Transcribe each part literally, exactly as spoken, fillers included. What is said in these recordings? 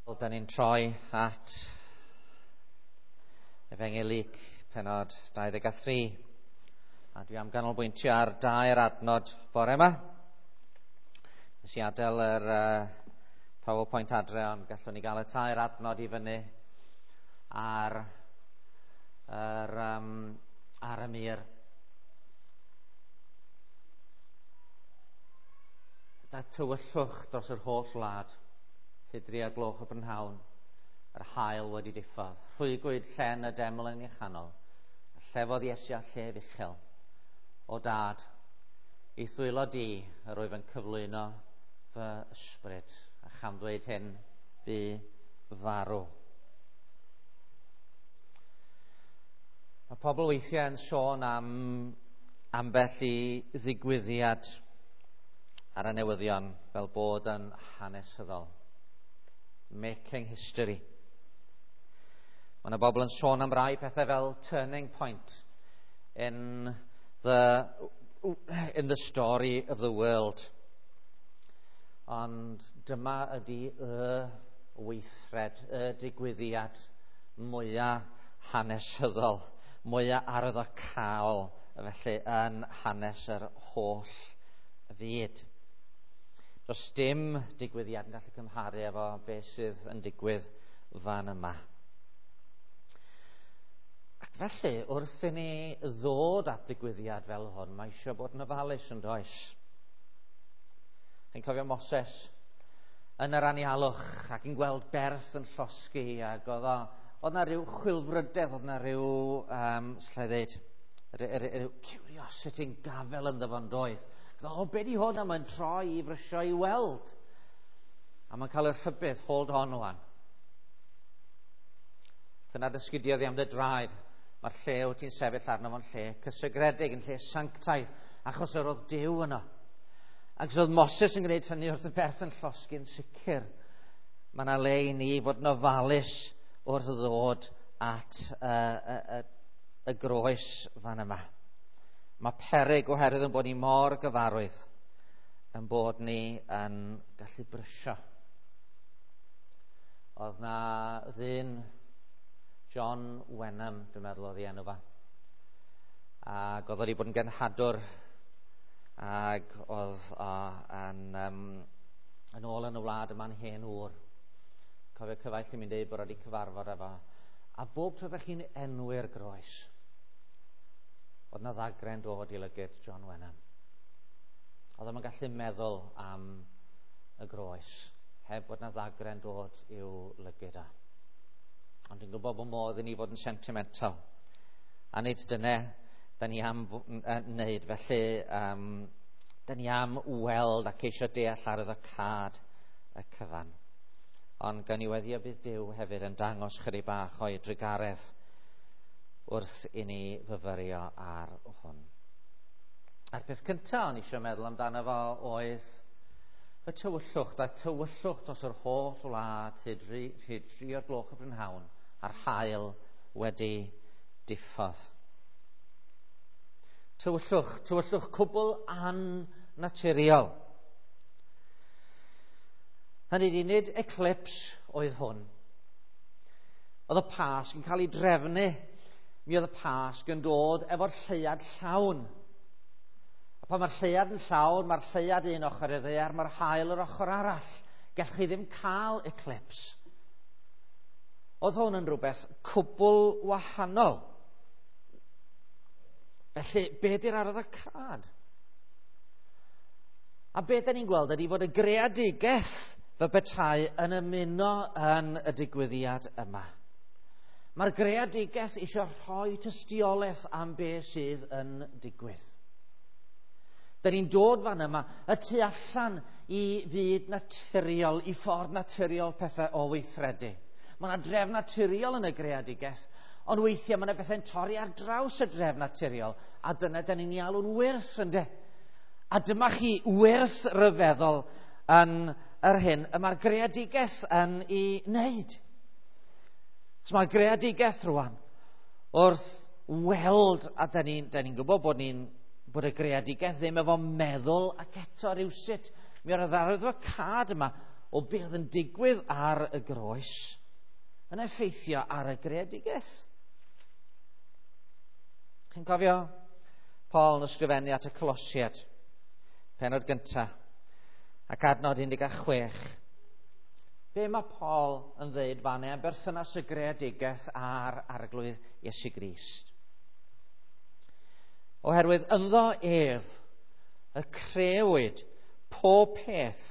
Wel, da ni'n troi at Efengyl Luc, pennod dau ddeg a thri. A dwi am ganolbwyntio ar dair adnod bore yma. Nes i adael yr uh, PowerPoint adre, ond gallwn ni gael y tair adnod i fyny ar, yr, um, ar y mur. Da tywyllwch dros yr holl wlad, hyd dri o'r gloch y brynhawn, yr haul wedi diffodd. Rhwygwyd llen y deml yn ei chanol, a llefodd Iesu â llef uchel. O dad, i ddwylo di yr wyf yn cyflwyno fy ysbryd, a chan ddweud hyn, bu farw. Mae pobl weithiau yn sôn am ambell i ddigwyddiad ar y newyddion fel bod yn hanesyddol. Making history. Mae yna bobl yn sôn am rai pethau fel turning point in the, in the story of the world. Ond dyma ydy y weithred, y digwyddiad mwyaf hanesyddol, mwyaf arwyddocaol, felly yn hanes yr holl fyd. Does dim digwyddiad yn gallu cymharu efo beth sydd yn digwydd fan yma. Ac felly, wrth i ni ddod at digwyddiad fel hwn, mae eisiau bod yn ofalus yn does. Chi'n cofio Moses yn yr anialwch ac yn gweld berth yn llosgi, ac oedd o, oedd na rhyw chwilfrydedd, oedd na rhyw, um, slla i ddeud, rhyw curiosity yn gafel ynddo fo'n doedd. O, be di hwn? A mae'n troi i frysio i weld. A mae'n cael y rhybudd, hold on wan. Dyna dysgidiodd i am dy draed. Mae'r lle wyt ti'n sefyll arno fo'n lle cysegredig, yn lle sanctaidd, achos yr oedd Duw yno. Ac os oedd Moses yn gwneud hynny wrth y berth yn llosgi'n sicr, mae yna le i ni fod yn ofalus wrth ddod at y, y, y, y groes fan yma. Mae peryg oherwydd yn bod ni mor gyfarwydd, yn bod ni yn gallu brysio. Oedd na ddyn, John Wenham, dwi'n meddwl oedd ei enw fa, ac oedd wedi bod yn genhadwr, ac oedd o yn, um, yn ôl yn y wlad yma'n hen ŵr. Cofio cyfaill i mi'n dweud bod wedi cyfarfod efo. A bob tro ydych chi'n enwi'r groes, oedd na ddagre'n dod i lygyd John Wenham. Oedd o'n gallu meddwl am y groes, heb bod na ddagre'n dod i'w lygyd o. Ond dwi'n gwybod bod modd i ni fod yn sentimental. A nid dyna da ni am wneud. Felly, um, da ni am weld ac eisiau deall arwyddocâd y cyfan. Ond gan i weddio bydd Duw hefyd yn dangos chydig bach o'i drugaredd wrth i ni fyfyrio ar hwn. A'r peth cyntaf o'n eisiau meddwl amdano fo oedd y tywyllwch. Daeth tywyllwch dros yr holl wlad hyd dri o'r gloch y brynhawn, a'r haul wedi diffodd. Tywyllwch, tywyllwch cwbl annaturiol. Hynny ydi, nid eclipse oedd hwn. Oedd y Pasg yn cael ei drefnu. Mi oedd y Pasg yn dod efo'r lleuad llawn. A pan mae'r lleuad yn llawn, mae'r lleuad un ochr i'r ddaear, mae'r haul yr ochr arall. Gallwch chi ddim cael eclipse. Oedd hwn yn rhywbeth cwbl wahanol. Felly, be di'r arwyddocâd? A be da ni'n gweld ydy fod y greadigaeth fel petai yn ymuno yn y digwyddiad yma. Mae'r greadigaeth eisiau rhoi tystiolaeth am be sydd yn digwydd. Da ni'n dod fan yma y tu allan i fyd naturiol, i ffordd naturiol pethau o weithredu. Mae yna drefn naturiol yn y greadigaeth, ond weithiau mae yna bethau'n torri ar draws y drefn naturiol, a dyna da ni'n ei alw'n wyrth, ynde? A dyma chi wyrth ryfeddol yn yr hyn y mae'r greadigaeth yn ei wneud. So mae'r greadigaeth rwan wrth weld, a da ni'n ni gwybod bod, ni'n, bod y greadigaeth ddim efo meddwl ac eto rywsut. Mi oedd yr arwyddocâd yma o beth yn digwydd ar y groes yn effeithio ar y greadigaeth. Chi'n cofio Paul yn ysgrifennu at y Colosiaid, pennod gyntaf, ac adnod un deg chwech. Be mae Paul yn dweud fan am berthynas y greadigaeth a'r Arglwydd Iesu Grist? Oherwydd ynddo ef y crëwyd pob peth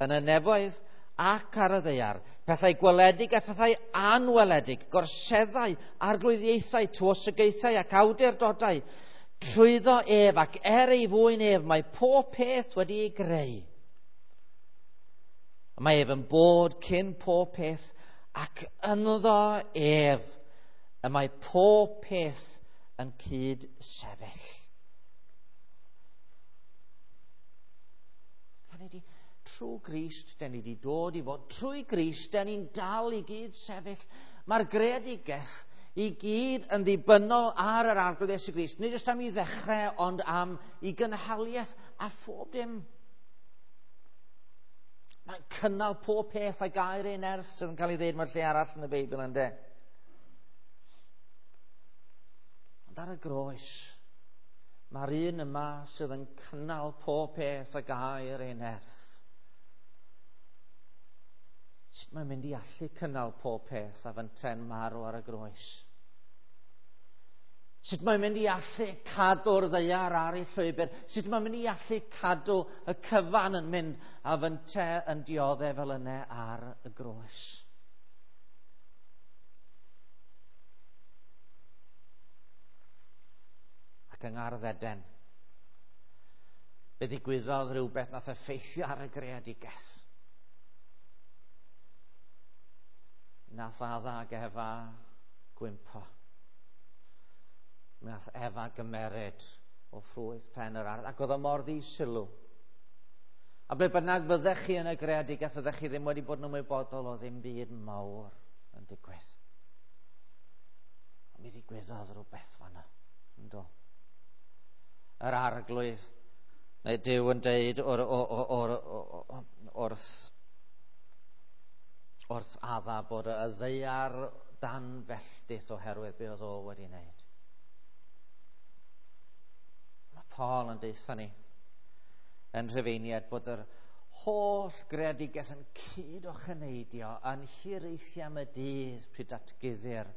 yn y nefoedd ac ar y ddaear, pethau gweledig a phethau anweledig, gorseddau, arglwyddiaethau, tywysogaethau ac awdurdodau. Trwyddo ef ac er ei fwyn ef mae pob peth wedi ei greu. Mae ef yn bod cyn pob peth ac ynddo ef y mae pob peth yn cyd sefyll. Hynny ydi, trwy Grist, den ni wedi dod i fod, trwy Grist, den ni'n dal i gyd sefyll. Mae'r greadigaeth i gyd yn ddibynnol ar yr Arglwydd Iesu Grist. Nid jyst am i ddechrau, ond am i gynhaliaeth a phob dim. Mae'n cynnal pob peth a gair ei nerth sydd yn cael ei ddeud mewn lle arall yn y Beibl, ynde. Ond ar y groes, mae'r un yma sydd yn cynnal pob peth a gair ei nerth. Sut mae'n mynd i allu cynnal pob peth a fynte'n marw ar y groes? Sut mae'n mynd i allu cadw'r ddaear ar ei llwybr? Sut mae'n mynd i allu cadw y cyfan yn mynd a fynte yn dioddef fel yna ar y groes? Ac yng Ngardd Eden, fe ddigwyddodd rhywbeth nath effeithio ar y greadigaeth. Nath Adda ac Efa gwympo. Nath Efa gymeryd o ffrwyth pen yr ardd, ac oedd o mor ddi-sylw. A ble bynnag fyddech chi yn y greadigaeth, fyddech chi ddim wedi bod yn ymwybodol o ddim byd mawr yn digwydd. Ond mi ddigwyddodd rhywbeth fanna, yndo? Yr Arglwydd, neu Duw yn deud o'r, or, or, or, wrth, wrth Adda bod y ddaear dan felltith oherwydd be oedd o wedi wneud. Mae Paul yn deutha ni yn Rhufeiniaid bod yr holl greadigaeth yn cyd ocheneidio yn hiraethu am y dydd pryd datguddir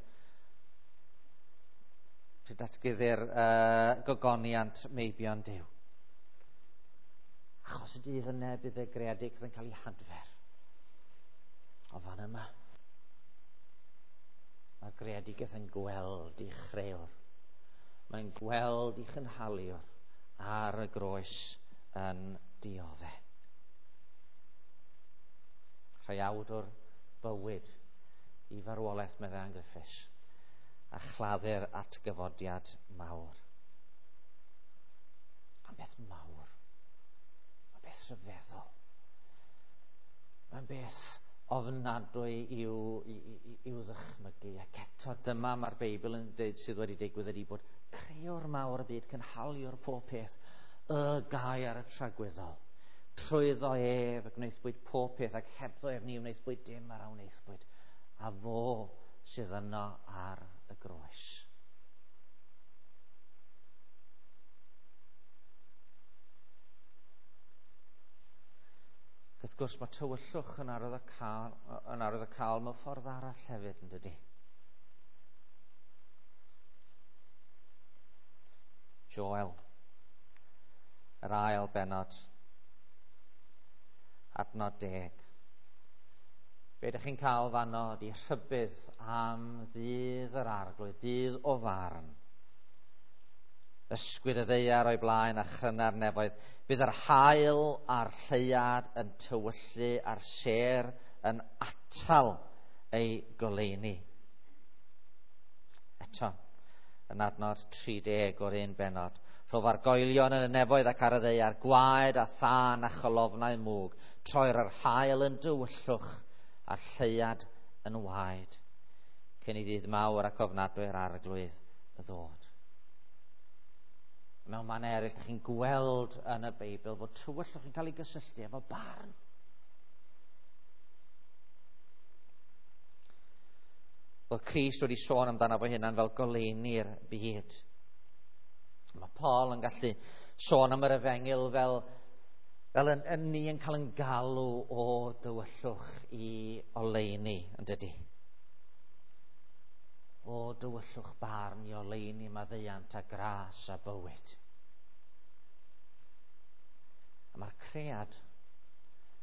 pryd datguddir uh, gogoniant meibion Duw. Achos y dydd yna bydd y greadigaeth yn cael ei hadfer. O fan yma, mae'r greadigaeth yn gweld ei chrëwr. Mae'n gweld ei chynhaliwr ar y groes yn dioddef. Rhaiawd o'r bywyd i farwolaeth, meddai Ann Griffiths, a chladdu'r atgyfodiad mawr. Mae'n beth mawr. Mae'n beth rhyfeddol. Mae'n beth ofnadwy i'w, i'w ddychmygu. Ac eto dyma mae'r Beibl yn dweud sydd wedi digwydd ydy bod crëwr mawr y byd, cynhaliwr pob peth, y gair y tragwyddol. Trwyddo ef y gwnaethpwyd pob peth, ac hebddo ef ni wnaethpwyd dim ar a wnaethpwyd. A fo sydd yno ar y groes. Wrth gwrs, mae tywyllwch yn arwyddocaol, yn arwyddocaol mewn ffordd arall hefyd, yn dydy? Joel, yr ail bennod, adnod deg. Be ydych chi'n cael fanno ydy rhybudd am ddydd yr Arglwydd, dydd o farn. Ysgwyd y ddaear o'i blaen a chryna'r nefoedd. Bydd yr haul a'r lleuad yn tywyllu a'r sêr yn atal ei goleuni. Eto, yn adnod tri deg o'r un bennod. Rhof argoelion yn y nefoedd ac ar y ddaear, gwaed a thân a cholofnau mwg. Troi'r yr haul yn dywyllwch a'r lleuad yn waed, cyn i ddydd mawr ac ofnadwy'r Arglwydd y ddod. Mewn man eraill, ydych chi'n gweld yn y Beibl fod tywyllwch yn cael ei gysylltu efo barn. Oedd Crist wedi sôn amdano fo hunan fel goleuni'r byd. Mae Paul yn gallu sôn am yr efengyl fel, fel yn, yn ni yn cael yn galw o dywyllwch i oleuni, yn dydy? O dywyllwch barn i oleuni maddeuant a gras a bywyd. A mae'r cread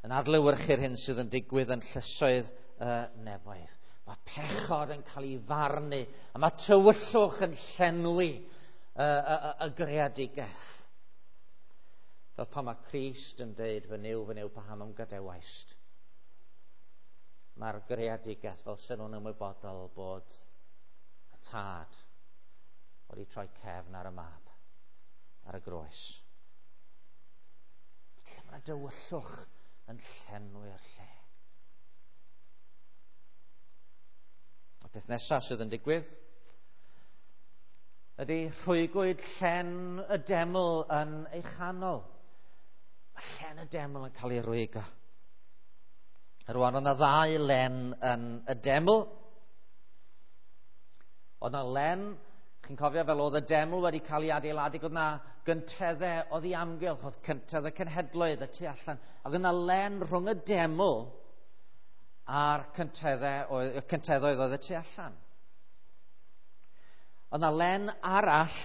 yn adlewyrchu'r hyn sydd yn digwydd yn llysoedd y nefoedd. Mae pechod yn cael ei farnu, a mae tywyllwch yn llenwi y, y, y, y greadigaeth. Fel pan mae Crist yn deud, fy Nuw, fy Nuw, paham a'm gadawaist. Mae'r greadigaeth fel sy'n nhw'n ymwybodol bod y tad wedi troi cefn ar y mab, ar y groes. Lle mae'r dywyllwch yn llenwi'r lle. Y peth nesaf sydd yn digwydd ydy rhwygwyd llen y deml yn ei chanol. Mae llen y deml yn cael ei rwygo. Rwan, oedd yna ddau len yn y deml. Oedd yna len, chi'n cofio fel oedd y deml wedi cael ei adeiladu, oedd yna gynteddau oedd ei amgylch, oedd cyntedd y cenhedloedd y tu allan. Ac oedd yna len rhwng y deml a'r cynteddau, y cynteddoedd oedd y tu allan. Oedd yna len arall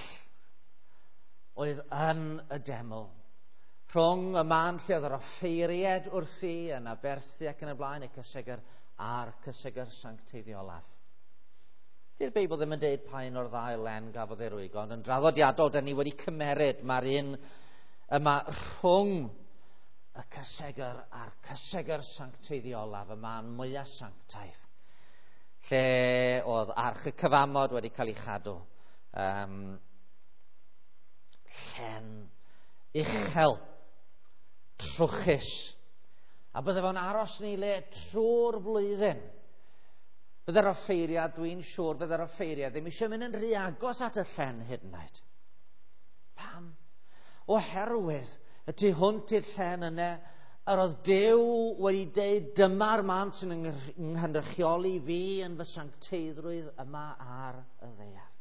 oedd yn y deml, rhwng y man lle oedd yr offeiried wrthi yn aberthu ac yn y blaen, y cysegr a'r cysegr sancteiddiolaf. Di'r Beibl ddim yn deud pa un o'r ddau len gafodd ei rwygo, ond yn draddodiadol, da ni wedi cymeryd mae'r un yma rhwng y cysegr a'r cysegr sancteiddiolaf, y man mwyaf sanctaidd, lle oedd arch y cyfamod wedi cael ei chadw. Um, llen uchel, trwchus, a bydde fo'n aros yn ei le trwy'r flwyddyn. Bydde'r offeiriad, dwi'n siŵr, bydde'r offeiriad ddim eisiau mynd yn rhy agos at y llen hyd yn oed. Pam? Oherwydd y tu hwnt i'r llen yna, yr oedd Duw wedi deud, dyma'r man sy'n nghynrychioli fi yn fy sancteiddrwydd yma ar y ddaear.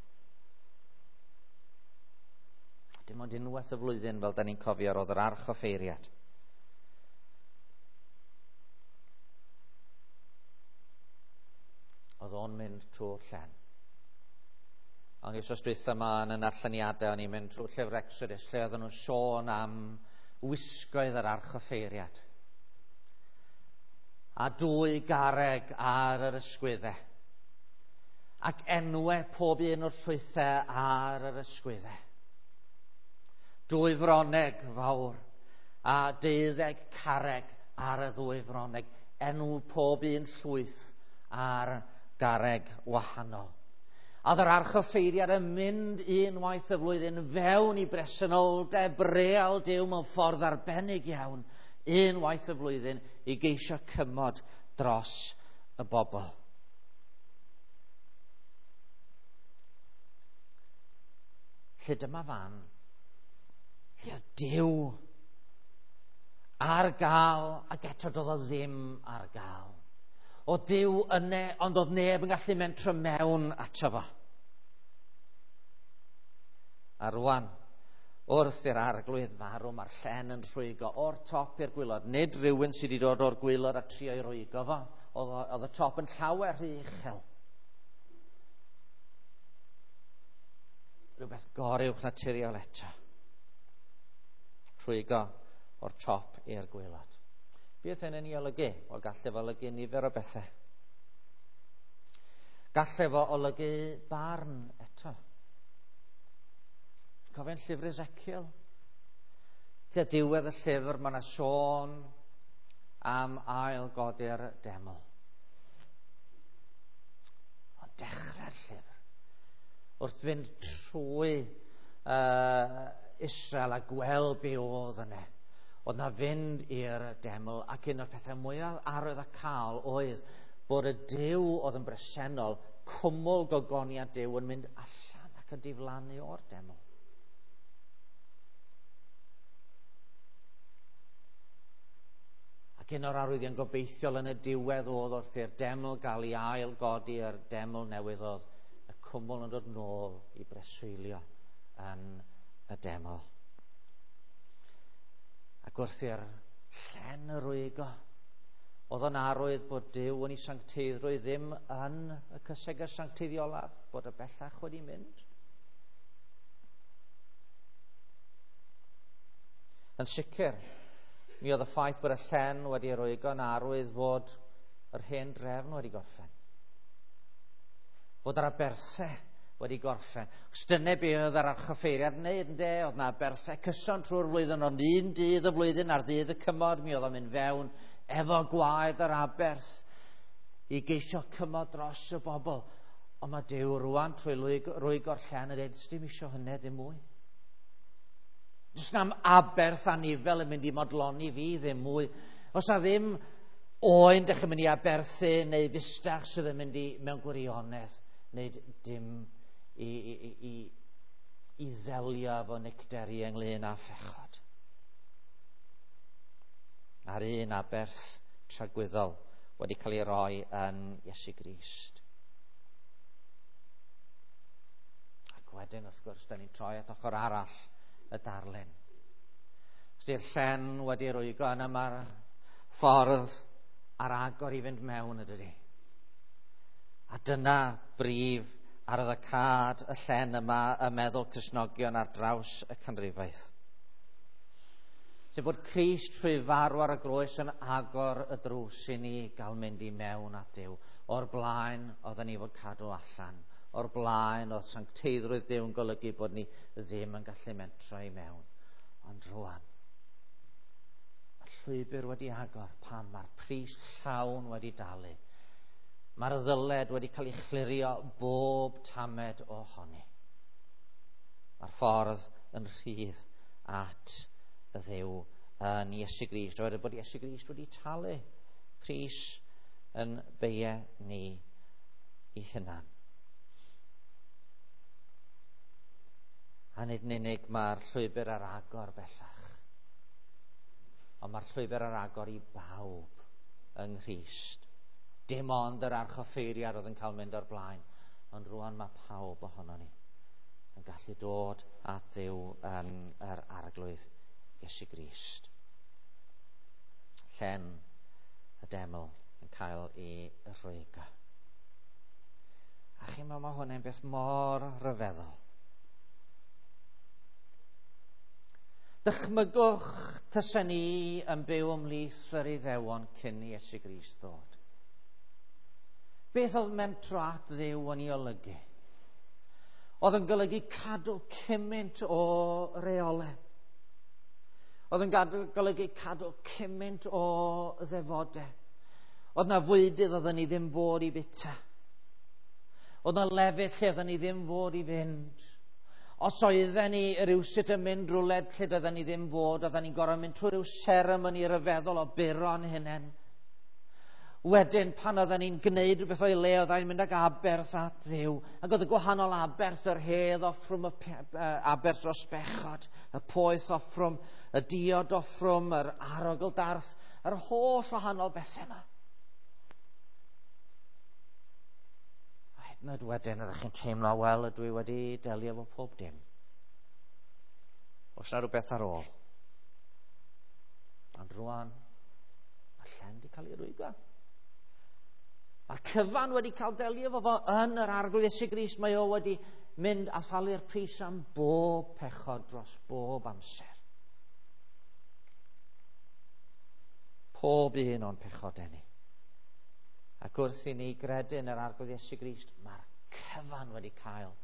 Dim ond unwaith y flwyddyn, fel da ni'n cofio, oedd yr arch offeiriad. Oedd o'n mynd trwy'r llen. Ond wythnos dwytha yma yn y narlleniadau, o'n i'n mynd trwy'r llyfr Exodus, lle oedden nhw'n sôn am wisgoedd yr archoffeiriad. A dwy garreg ar yr ysgwyddau. Ac enwau pob un o'r llwythau ar yr ysgwyddau. Dwy froneg fawr a deuddeg carreg ar y ddwy froneg. Enw pob un llwyth ar garreg wahanol. A oedd yr archoffeiriad yn mynd unwaith y flwyddyn fewn i bresenoldeb real Duw mewn ffordd arbennig iawn, unwaith y flwyddyn i geisio cymod dros y bobl. Lle dyma fan, lle oedd Duw ar gael, ac eto doedd o ddim ar gael. O Duw yne, ond oedd neb yn gallu mentro mewn ato fo. A rwan, wrth i'r arglwydd farw, mae'r llen yn rhwygo o'r top i'r gwaelod. Nid rhywun sydd wedi dod o'r gwaelod a trio i rwygo fo. Oedd, oedd y top yn llawer rhy uchel. Rhywbeth goruwch naturiol eto. Rhwygo o'r top i'r gwaelod. Beth hyn yn ei olygu? Wel, gallai fo olygu nifer o bethau. Gallai fo olygu barn eto. Cofio'n llyfr Ezekiel? Tua diwedd y llyfr, mae yna sôn am ail godi'r deml. Ond dechrau'r llyfr, wrth fynd trwy uh, Israel a gweld be oedd yna, oedd na fynd i'r deml, ac un o'r pethau mwyaf arwydd a cael oedd bod y Duw oedd yn bresennol, cwmwl gogoniad Duw yn mynd allan ac yn diflannu o'r deml. Ac Ac un o'r arwyddion gobeithiol yn y diwedd oedd wrth i'r deml gael ei ail godi, yr deml newydd, oedd y cwmwl yn dod nôl i breswylio yn y deml. Ac wrth i'r llen y rwygo, oedd yn arwydd bod Duw yn ei sancteiddrwydd ddim yn y cysegr sancteiddiolaf, bod y bellach wedi mynd. Yn sicr, mi oedd y ffaith bod y llen wedi rwygo yn arwydd fod yr hen drefn wedi gorffen. Fod yr aberthau wedi gorffen. Os dyna be oedd yr archoffeiriad yn neud, ynde? Oedd na aberthau cyson trwy'r flwyddyn, ond un dydd y flwyddyn ar ddydd y cymod, mi oedd o'n mynd fewn efo gwaed yr aberth i geisio cymod dros y bobl. Ond mae Duw rwan trwy rwygo'r llen yn dweud, dim isio hynny ddim mwy. Does na'm aberth anifel yn mynd i modloni fi ddim mwy. Os na ddim oen dych chi'n mynd i aberthu neu fustach sydd yn mynd i mewn gwirionedd wneud dim i, i, i, i ddelio efo nicter i ynglyn â phechod. A'r un aberth tragwyddol wedi cael ei roi yn Iesu Grist. Ac wedyn, wrth gwrs, da ni'n troi at ochr arall y darlun. Os di'r llen wedi rwygo, yna mae'r ffordd ar agor i fynd mewn, ydydi. A dyna brif arwyddocâd y llen yma y meddwl Cristnogion ar draws y canrifoedd. Sef bod Crist trwy farw ar y groes yn agor y drws i ni gael mynd i mewn at Duw. O'r blaen oedden ni fod cadw allan. O'r blaen oedd sancteiddrwydd Duw yn golygu bod ni ddim yn gallu mentro i mewn. Ond rwan, mae'r llwybr wedi agor. Pam? Mae'r pris llawn wedi dalu. Mae'r ddyled wedi cael ei chlirio bob tamed ohoni. Mae'r ffordd yn rhydd at y Dduw yn Iesu Grist. Oherwydd bod Iesu Grist wedi talu pris yn beie ni i hunan. A nid yn unig mae'r llwybr ar agor bellach, ond mae'r llwybr ar agor i bawb yng Nghrist. Dim ond yr archoffeiriad oedd yn cael mynd o'r blaen, ond rwan mae pawb ohono ni yn gallu dod at Dduw yn yr Arglwydd Iesu Grist. Llen y deml yn cael ei rwygo. A chi'n meddwl, mae hwnna'n beth mor ryfeddol. Dychmygwch tasen ni yn byw ymhlith yr Iddewon cyn i Iesu Grist ddod. Beth oedd mentro at Dduw yn ei olygu? Oedd yn golygu cadw cymaint o reolau. Oedd yn gadw, golygu cadw cymaint o ddefodau. Oedd na fwydydd oedden ni ddim fod i fita. Oedd na lefydd lle oedden ni ddim fod i fynd. Os oedden ni rywsut yn mynd rhywle lle doedden ni ddim fod, oedden ni'n gorfod mynd trwy ryw seremoni ryfeddol o buro'n hunain. Wedyn, pan oedden ni'n gwneud rhywbeth o'i le, oedden ni'n mynd ag aberth at Dduw. Ac oedd y gwahanol aberth, yr hedd offrwm, y aberth dros bechod, y poeth offrwm, y diod offrwm, yr arogl darth, yr holl wahanol bethau yma. A hyd yn oed wedyn, ydych chi'n teimlo, wel, ydw i wedi delio efo pob dim. Oes na rhywbeth ar ôl? Ond rwan, mae'r llen wedi cael ei rwygo. Mae'r cyfan wedi cael delio efo fo yn yr Arglwydd Iesu Grist. Mae o wedi mynd a thalu'r pris am bob pechod dros bob amser. Pob un o'n pechodau ni. Ac wrth i ni gredu yn yr Arglwydd Iesu Grist, mae'r cyfan wedi cael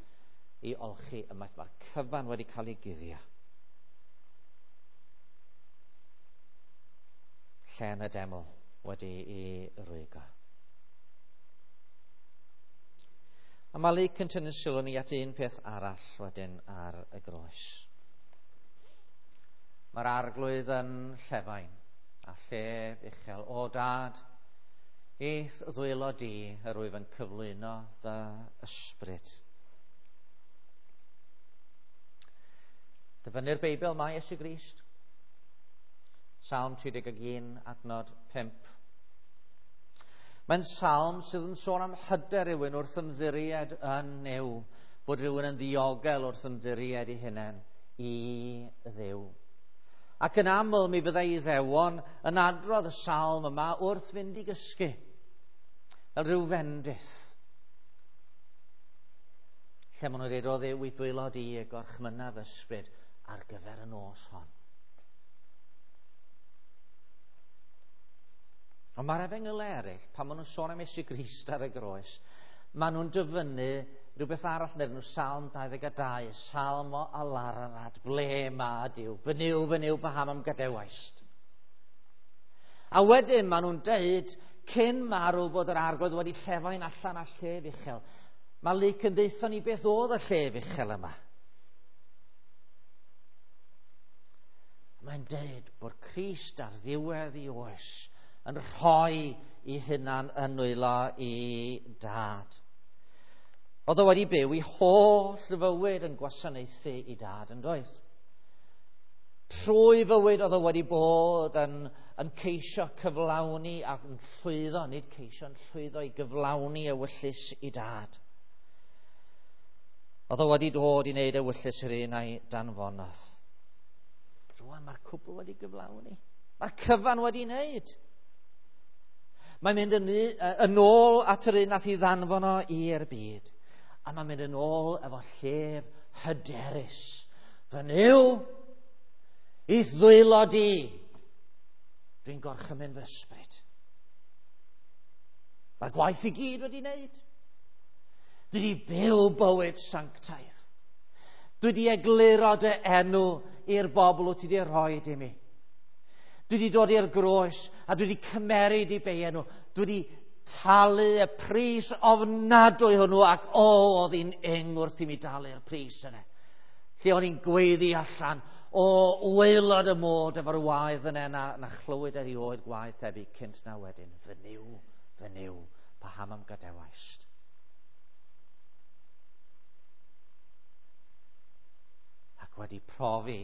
ei olchi ymaith. Mae'r cyfan wedi cael ei guddio. Llen y deml wedi ei rwygo. A mae Luc yn tynnu sylw ni at un peth arall wedyn ar y groes. Mae'r Arglwydd yn llefain a llef uchel. O Dad, i'th ddwylo di yr wyf yn cyflwyno fy ysbryd. Dyfynnu'r Beibl mae Iesu Grist Salm tri deg un, adnod pump. Mae'n salm sydd yn sôn am hyder rhywun wrth ymddiried yn Nuw, bod rhywun yn ddiogel wrth ymddiried ei hunain i Dduw. Ac yn aml mi fyddai Iddewon yn adrodd y salm yma wrth fynd i gysgu, fel rhyw fendith. Lle maen nhw'n dweud, o Dduw, i ddwylo di y gorchmynna fy ysbryd ar gyfer y nos hon. Ond mae'r efengylau eraill, pan maen nhw'n sôn am Iesu Grist ar y groes, maen nhw'n dyfynnu rhywbeth arall neu nhw, Salm dau ddeg dau, Salm o alarnad, ble ma Duw, fy Nuw, fy Nuw, paham am gadewaist. A wedyn maen nhw'n deud, cyn marw bod yr Arglwydd wedi llefain allan â llef uchel. Mae Luc yn deutho ni beth oedd y llef uchel yma. Mae'n deud bod Crist ar ddiwedd ei oes yn rhoi ei hunan yn nwylo i dad. Oedd o wedi byw ei holl fywyd yn gwasanaethu i dad, yn doedd? Trwy fywyd oedd o wedi bod yn, yn ceisio cyflawni ac yn llwyddo, nid ceisio, yn llwyddo i gyflawni ewyllys i dad. Oedd o wedi dod i wneud ewyllys yr un a'i danfonodd. Rwan mae'r cwbl wedi gyflawni. Mae'r cyfan wedi wneud. Mae'n mynd yn, yn ôl at yr un nath i ddanfon o i'r byd. A mae'n mynd yn ôl efo llef hyderus. Fy Nuw, i'th ddwylo di, dwi'n gorchymyn fy ysbryd. Mae'r gwaith i gyd wedi wneud. Dwi wedi byw bywyd sanctaidd. Dwi wedi egluro dy enw i'r bobl wyt ti wedi rhoi i mi. Dwi wedi dod i'r groes a dwi wedi cymeryd i bei enw. Dwi wedi talu y pris ofnadwy hwnnw ac o, oedd hi'n ing wrth i mi dalu'r pris yna. Lle o'n i'n gweiddi allan o waelod y mod efo'r waedd yna na, na chlywyd erioed gwaedd tebyg cynt na wedyn. Fy Nuw, fy Nuw, paham am gadewaist? Ac wedi profi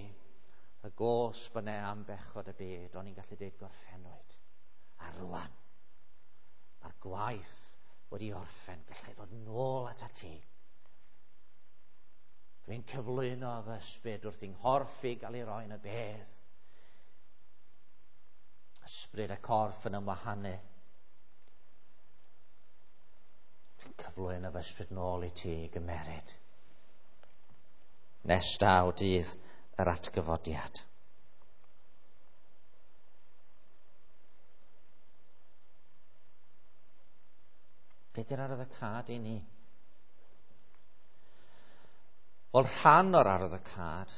y gosb yna am bechod y byd, o'n i'n gallu dweud gorffennwyd. A rwan, mae'r gwaith wedi orffen, gallai ddod nôl at ti. Dwi'n cyflwyno fy ysbryd wrth i'n nghorff i gael ei roi yn y bedd. Ysbryd y corff yn ymwahanu. Dwi'n cyflwyno fy ysbryd nôl i ti i gymeryd. Nes daw dydd yr atgyfodiad. Be di'r arwyddocâd i ni? Wel, rhan o'r arwyddocâd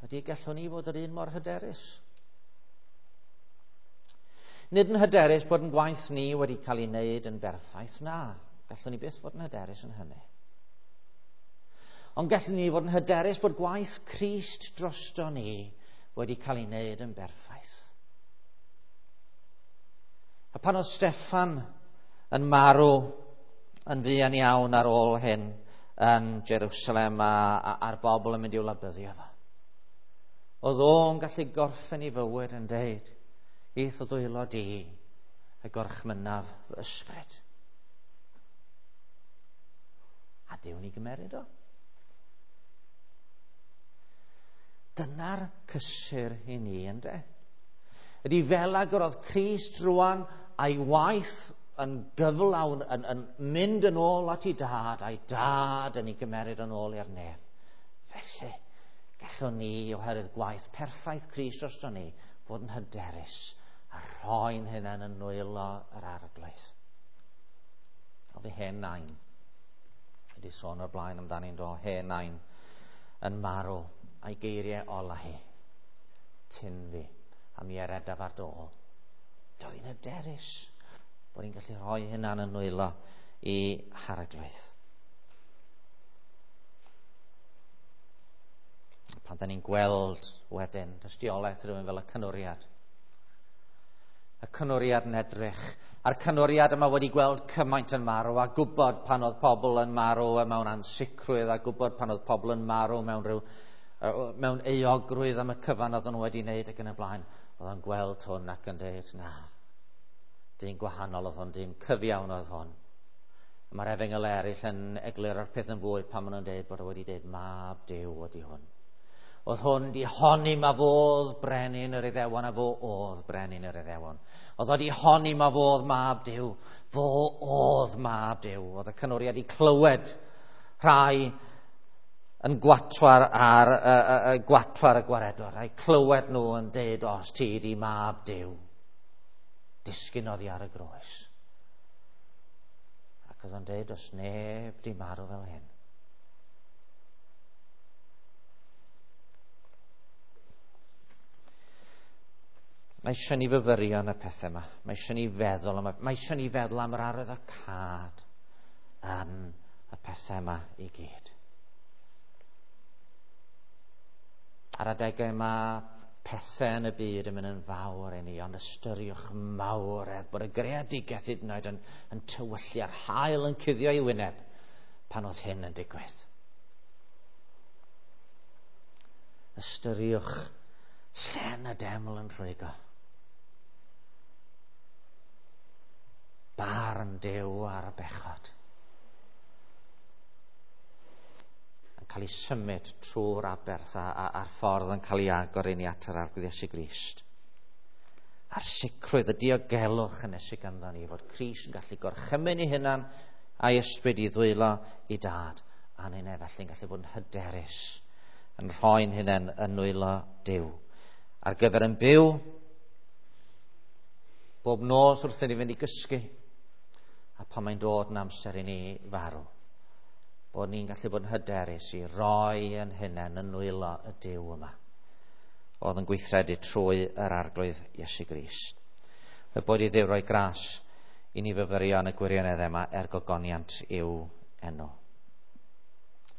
ydy gallwn ni fod yr un mor hyderus. Nid yn hyderus bod yn gwaith ni wedi cael ei wneud yn berffaith, na. Gallwn ni byth fod yn hyderus yn hynny. Ond gallwn ni fod yn hyderus bod gwaith Crist drosto ni wedi cael ei wneud yn berffaith. A pan oedd Steffan yn marw yn fuan iawn ar ôl hyn yn Jerusalem a, a, a'r bobl yn mynd i'w labyddio fo, oedd o'n gallu gorffen ei fywyd yn deud, i'th o ddwylo di y gorchmynnaf fy ysbryd. A Duw ni gymeryd o. Dyna'r cysur i ni, ynde? Ydy fel ag yr oedd Crist rwan a'i waith yn gyflawn, yn, yn mynd yn ôl at ei dad, a'i dad yn ei gymeryd yn ôl i'r nef. Felly, gallwn ni, oherwydd gwaith perffaith Crist drosto ni, fod yn hyderus a rhoi'n hunain yn nwylo yr Arglwydd. O fi hen nain, wedi sôn o'r blaen amdani'n do, hen nain yn marw a'i geiriau ola hi, tyn fi, a mi eredaf ar dôl. Doedd hi'n hyderus bod hi'n gallu rhoi hunan yn nwylo i Harglwydd. Pan da ni'n gweld wedyn dystiolaeth rhywun fel y canwriad. Y canwriad yn edrych. A'r canwriad yma wedi gweld cymaint yn marw a gwybod pan oedd pobl yn marw mewn ansicrwydd a gwybod pan oedd pobl yn marw mewn rhyw, mewn euogrwydd am y cyfan oedden nhw wedi wneud ac yn y blaen. Oedd o'n gweld hwn ac yn dweud, na, dyn gwahanol oedd hwn, dyn cyfiawn oedd hwn. Mae'r efengyl eraill yn egluro'r peth yn fwy pan maen nhw'n dweud bod o wedi dweud mab Duw ydi hwn. Oedd hwn di honni ma fodd brenin yr Iddewon a fo oedd brenin yr Iddewon. Oedd o di honni ma fodd mab Duw, fo oedd mab Duw. Oedd y canwriad i clywed rhai yn gwatwar ar y, y, y gwatwar y gwaredwr, a'i clywed nhw yn deud, os ti di mab Duw, disgyn oddi ar y groes. Ac oedd o'n deud, os neb di marw fel hyn. Mae eisiau ni fyfyrio yn y pethau yma. Mae eisiau ni feddwl am, mae eisiau ni feddwl am yr arwyddocâd yn y pethau yma i gyd. Ar adegau yma, pethau yn y byd yn mynd yn fawr i ni, ond ystyriwch mawredd bod y greadigaeth hyd yn oed yn, yn tywyllu a'r haul yn cuddio ei wyneb pan oedd hyn yn digwydd. Ystyriwch llen y deml yn rhwygo. Barn Duw ar y bechod. Yn cael ei symud trwy'r aberth a, a, a'r ffordd yn cael ei agor i ni at yr Arglwydd Iesu Grist. A'r sicrwydd, y diogelwch yn sydd ganddo ni, fod Crist yn gallu gorchymyn ei hunan a'i ysbryd i ddwylo i dad. A ni'n felly'n gallu bod yn hyderus, yn rhoi'n hunain yn nwylo Duw. Ar gyfer yn byw, bob nos wrth i ni fynd i gysgu, a pan mae'n dod yn amser i ni farw, bod ni'n gallu bod yn hyderus i roi yn hunain yn nwylo y Duw yma, oedd yn gweithredu trwy yr Arglwydd Iesu Grist. Y bod i Dduw roi gras i ni fyfyrio yn y gwirioneddau yma er gogoniant i'w enw.